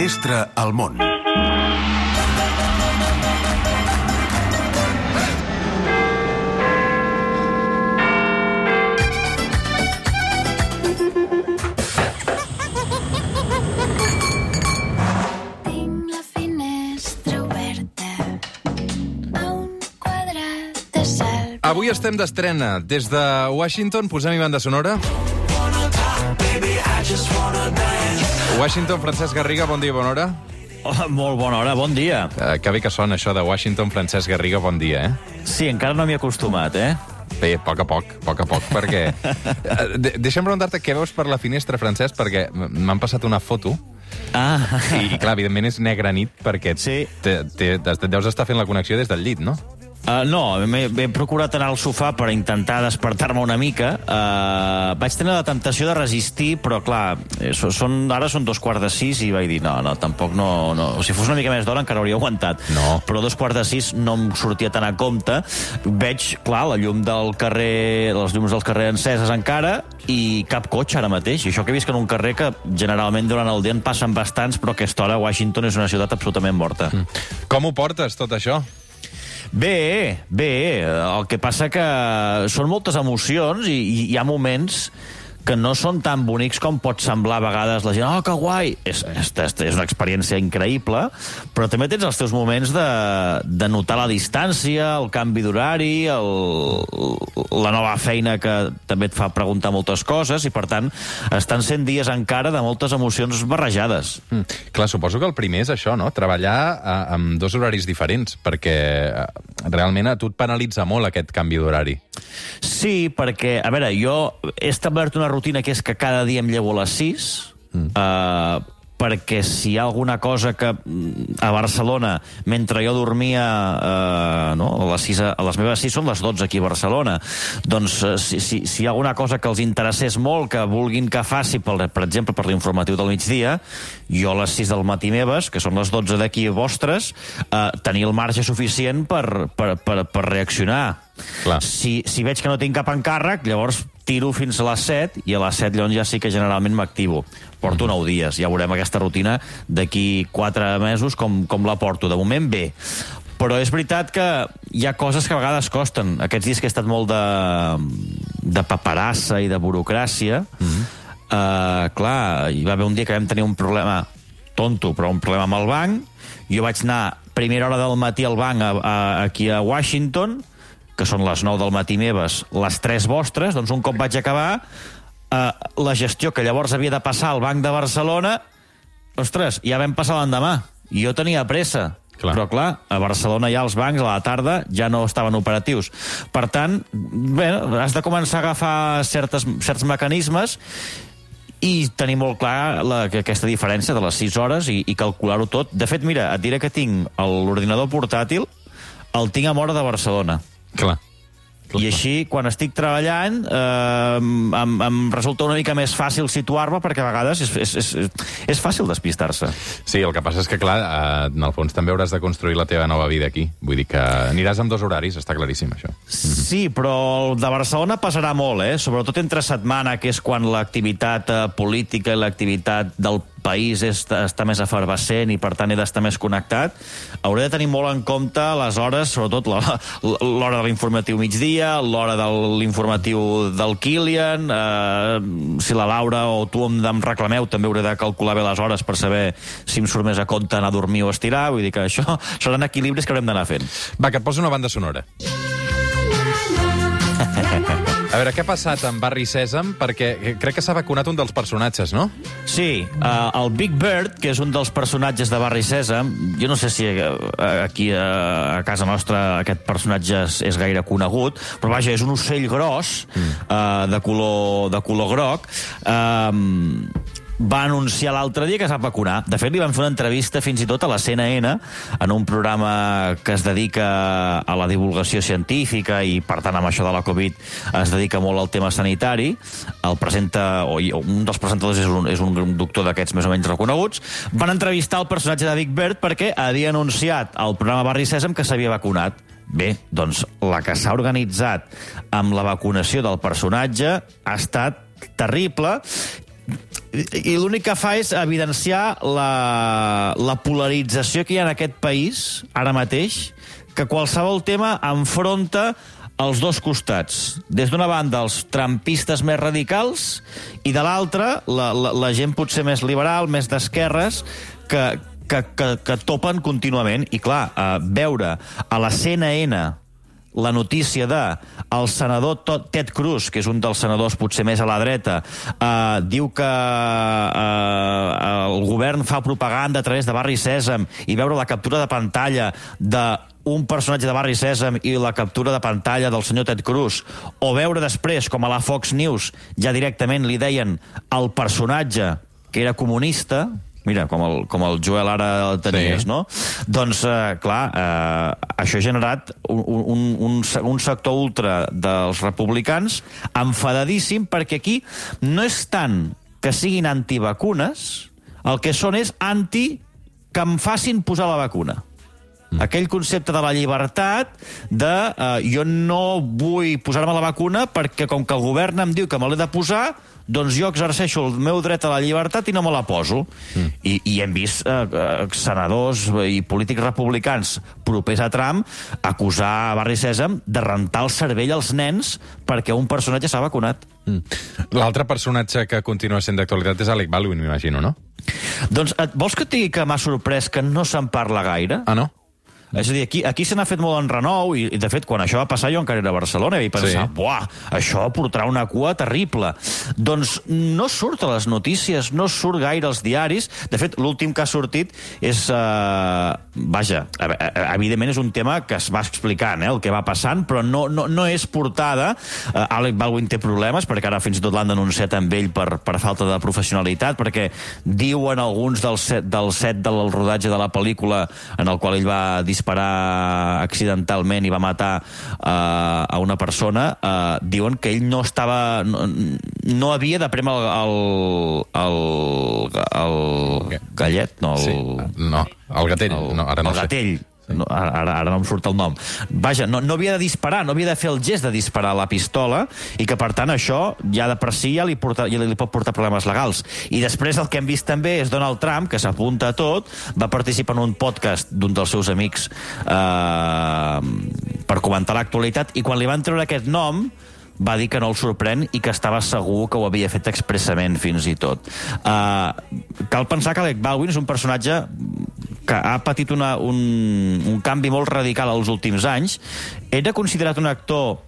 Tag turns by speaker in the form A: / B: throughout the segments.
A: finestra al món.
B: Avui estem d'estrena. Des de Washington posem-hi banda sonora. Washington, Francesc Garriga, bon dia, bona hora.
C: Oh, molt bona hora, bon dia.
B: Que bé que sona això de Washington, Francesc Garriga, bon dia,
C: Sí, encara no m'hi he acostumat,
B: Bé, a poc a poc, perquè... Deixa'm preguntar-te què veus per la finestra, Francesc, perquè m'han passat una foto. I clar, evidentment és negra nit, perquè deus estar fent la connexió des del llit, no?
C: No, m'he procurat anar al sofà per intentar despertar-me una mica. Vaig tenir la temptació de resistir, però clar, ara són 5:15 i vaig dir, no, tampoc no. Si fos una mica més d'hora encara hauria aguantat.
B: No.
C: Però 5:15 no em sortia tan a compte. Veig, clar, la llum del carrer, les llums del carrer enceses encara, i cap cotxe ara mateix. I això que he vist que en un carrer que generalment durant el dia en passen bastants, però a aquesta hora Washington és una ciutat absolutament morta.
B: Com ho portes, tot això?
C: Bé. El que passa que són moltes emocions i hi ha moments que no són tan bonics com pot semblar a vegades la gent. Oh, que guai! És una experiència increïble, però també tens els teus moments de notar la distància, el canvi d'horari, la nova feina que també et fa preguntar moltes coses, i per tant estan sent dies encara de moltes emocions barrejades.
B: Clar, suposo que el primer és això, no? Treballar amb dos horaris diferents, perquè realment a tu et penalitza molt aquest canvi d'horari.
C: Sí, perquè, a veure, jo he establert una rutina que és que cada dia em llevo a les 6, perquè si hi ha alguna cosa que a Barcelona, mentre jo dormia a les meves 6 són les 12 aquí a Barcelona, doncs si hi ha alguna cosa que els interessés molt, que vulguin que faci, per exemple, per l'informatiu del migdia, jo a les 6 del matí meves, que són les 12 d'aquí vostres, tenir el marge suficient per reaccionar.
B: Clar.
C: Si veig que no tinc cap encàrrec, llavors tiro fins a les 7, i a les 7 llavors ja sí que generalment m'activo. Porto 9 dies, ja veurem aquesta rutina d'aquí 4 mesos com la porto. De moment bé. Però és veritat que hi ha coses que a vegades costen. Aquests dies que he estat molt de paperassa i de burocràcia, clar, hi va haver un dia que vam tenir un problema tonto, però un problema amb el banc. Jo vaig anar a primera hora del matí al banc aquí a Washington, que són les 9 del matí meves, les 3 vostres, doncs un cop vaig acabar, la gestió que llavors havia de passar al Banc de Barcelona, ostres, ja vam passar l'endemà. I jo tenia pressa.
B: Clar.
C: Però, clar, a Barcelona ja els bancs a la tarda ja no estaven operatius. Per tant, bé, has de començar a agafar certs mecanismes i tenir molt clar aquesta diferència de les 6 hores i calcular-ho tot. De fet, mira, et diré que tinc l'ordinador portàtil, el tinc a Móra de Barcelona.
B: Clar.
C: I així, quan estic treballant, em resulta una mica més fàcil situar-me, perquè a vegades és fàcil despistar-se.
B: Sí, el que passa és que, clar, en el fons també hauràs de construir la teva nova vida aquí. Vull dir que aniràs amb 2 horaris, està claríssim, això.
C: Sí, però el de Barcelona passarà molt, sobretot entre setmana, que és quan l'activitat política i l'activitat del país està més efervescent i per tant he d'estar més connectat. Hauré de tenir molt en compte les hores, sobretot l'hora de l'informatiu migdia, l'hora de l'informatiu del Kilian, si la Laura o tu em reclameu també hauré de calcular bé les hores per saber si em surt més a compte anar a dormir o estirar, vull dir que això seran equilibris que haurem d'anar fent.
B: Va, que et poso una banda sonora. A veure, què ha passat amb Barri Sèsam? Perquè crec que s'ha vacunat un dels personatges, no?
C: Sí, el Big Bird, que és un dels personatges de Barri Sèsam, jo no sé si aquí a casa nostra aquest personatge és gaire conegut, però vaja, és un ocell gros, de color groc, va anunciar l'altre dia que s'ha vacunat. De fet, li van fer una entrevista fins i tot a la CNN, en un programa que es dedica a la divulgació científica i, per tant, amb això de la Covid es dedica molt al tema sanitari. Un dels presentadors és un doctor d'aquests més o menys reconeguts. Van entrevistar el personatge de Big Bird perquè havia anunciat al programa Barri Sèsam que s'havia vacunat. Bé, doncs la que s'ha organitzat amb la vacunació del personatge ha estat terrible. I l'únic que fa és evidenciar la polarització que hi ha en aquest país, ara mateix, que qualsevol tema enfronta els dos costats. Des d'una banda, els trumpistes més radicals, i de l'altra, la gent potser més liberal, més d'esquerres, que topen contínuament. I clar, veure a la CNN la notícia de el senador Ted Cruz, que és un dels senadors potser més a la dreta, diu que el govern fa propaganda a través de Barri Sèsam, i veure la captura de pantalla d'un personatge de Barri Sèsam i la captura de pantalla del senyor Ted Cruz, o veure després com a la Fox News ja directament li deien el personatge que era comunista. Mira, com el Joel ara el tenies, sí. No? Doncs, clar, això ha generat un sector ultra dels republicans enfadadíssim, perquè aquí no és tant que siguin antivacunes, el que són és que em facin posar la vacuna. Aquell concepte de la llibertat de jo no vull posar-me la vacuna perquè com que el govern em diu que me l'he de posar, doncs jo exerceixo el meu dret a la llibertat i no me la poso. I hem vist senadors i polítics republicans propers a Trump acusar a Barri Sèsam de rentar el cervell als nens perquè un personatge s'ha vacunat.
B: L'altre personatge que continua sent d'actualitat és Alec Baldwin, m'imagino, no?
C: Doncs vols que et digui que m'ha sorprès que no se'n parla gaire?
B: Ah, no?
C: És a dir, aquí se n'ha fet molt en renou, i de fet, quan això va passar jo encara era a Barcelona, i pensava, buah, això portarà una cua terrible. Doncs no surt a les notícies, no surt gaire als diaris. De fet, l'últim que ha sortit és... Vaja, evidentment és un tema que es va explicant, el que va passant, però no és portada. Alec Baldwin té problemes, perquè ara fins i tot l'han denunciat amb ell per falta de professionalitat, perquè diuen alguns del set del rodatge de la pel·lícula en el qual ell va disparar accidentalment i va matar a una persona, diuen que ell no havia de prémer el gallet, no,
B: el gatell, ara no sé.
C: El gatell. Ara no em surt el nom. Vaja, no havia de disparar, no havia de fer el gest de disparar la pistola, i que, per tant, això ja de per si ja li pot portar problemes legals. I després el que hem vist també és Donald Trump, que s'apunta a tot, va participar en un podcast d'un dels seus amics per comentar l'actualitat, i quan li van treure aquest nom va dir que no el sorprèn i que estava segur que ho havia fet expressament, fins i tot. Cal pensar que Alec Baldwin és un personatge que ha patit un canvi molt radical als últims anys. Era considerat un actor,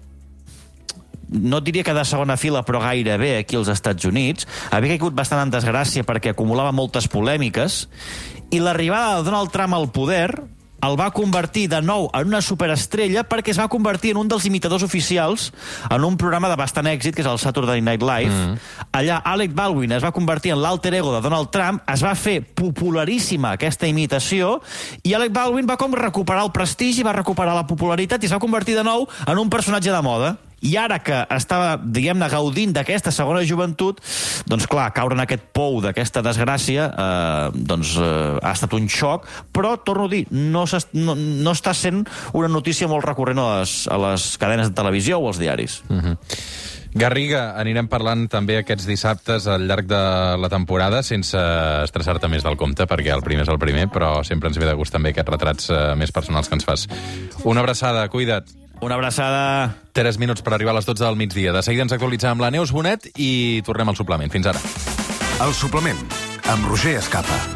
C: no diria que de segona fila, però gairebé aquí als Estats Units. Havia caigut bastant en desgràcia perquè acumulava moltes polèmiques, i l'arribada de Donald Trump al poder el va convertir de nou en una superestrella, perquè es va convertir en un dels imitadors oficials en un programa de bastant èxit, que és el Saturday Night Live. Allà Alec Baldwin es va convertir en l'alter ego de Donald Trump, es va fer popularíssima aquesta imitació, i Alec Baldwin va com recuperar el prestigi, va recuperar la popularitat i es va convertir de nou en un personatge de moda. I ara que estava, diguem-ne, gaudint d'aquesta segona joventut, doncs clar, caure en aquest pou d'aquesta desgràcia ha estat un xoc, però, torno a dir, no està sent una notícia molt recurrent a les cadenes de televisió o als diaris.
B: Garriga, anirem parlant també aquests dissabtes al llarg de la temporada, sense estressar-te més del compte, perquè el primer és el primer, però sempre ens ve de gust també aquests retrats més personals que ens fas. Una abraçada, cuida't.
C: Una abraçada.
B: 3 minuts per arribar a les 12 del migdia. De seguida ens actualitzem amb la Neus Bonet i tornem al suplement. Fins ara.
A: El suplement, amb Roger Escapa.